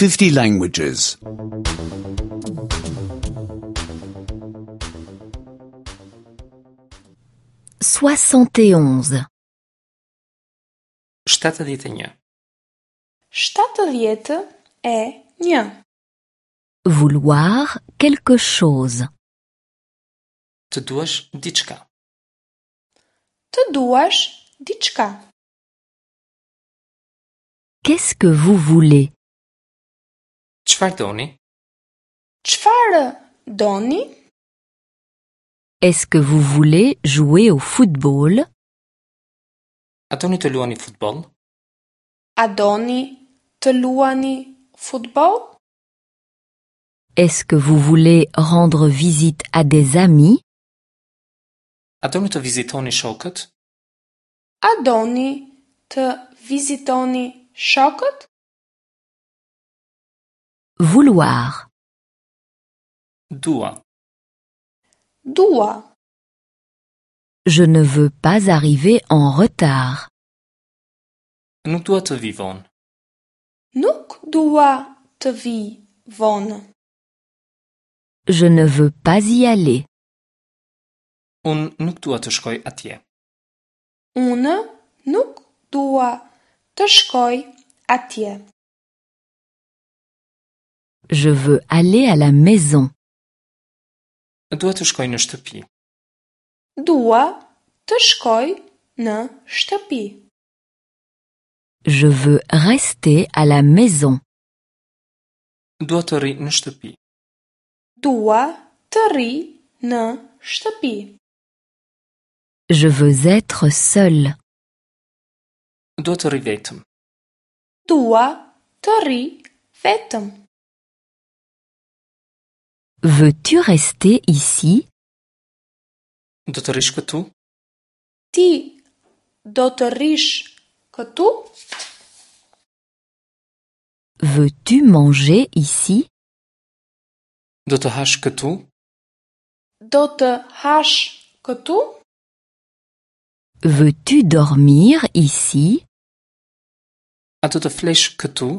50 languages. 71. 71. 71. Vouloir quelque chose. Të duash diçka. Të duash diçka. Qu'est-ce que vous voulez? Çfarë doni? Çfarë doni? Est-ce que vous voulez jouer au football? A doni të luani futboll? A doni të luani futboll? Est-ce que vous voulez rendre visite à des amis? A doni të vizitoni shokët? A doni të vizitoni shokët? Vouloir. Dua. Dua. Je ne veux pas arriver en retard. Nuk dua të vi vonë. Nuk dua të vi vonë. Je ne veux pas y aller. Unë nuk dua të shkoj atje. Unë nuk dua të shkoj atje. Je veux aller à la maison. Dua të shkoj në shtëpi. Dua të shkoj në shtëpi. Je veux rester à la maison. Dua të rri në shtëpi. Dua të rri në shtëpi. Je veux être seul. Dua të rri vetëm. Dua të rri vetëm. Veux-tu rester ici? Do të rrish këtu? Ti do të rrish këtu? Veux-tu manger ici? Do të hash këtu? Do të hash këtu? Veux-tu dormir ici? A do të flesh këtu?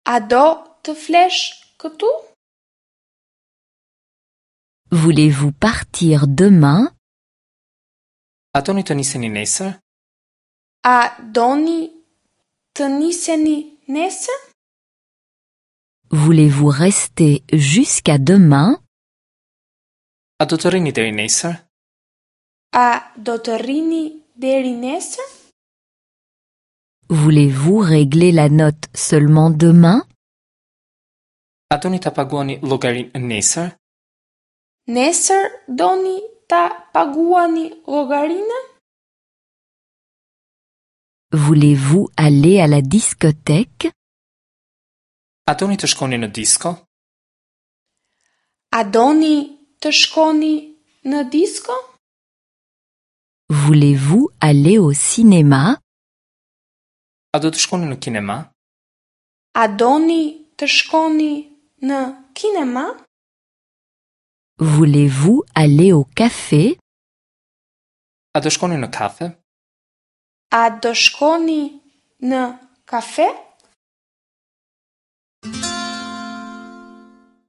A do të flesh këtu? Voulez-vous partir demain? A doni të niseni nesër? A doni të niseni nesër? Voulez-vous rester jusqu'à demain? A do të rrini deri nesër? A do të rrini deri nesër? Voulez-vous régler la note seulement demain? A doni ta paguani llogarinë nesër? Nesër doni ta paguani llogarinë? Voulez-vous aller à la discothèque? A doni të shkoni në disko? A doni të shkoni në disko? Voulez-vous aller au cinéma? A do të shkoni në kinema? A doni të shkoni në kinema? Voulez-vous aller au café? A do shkoni në kafe? A do shkoni në kafe?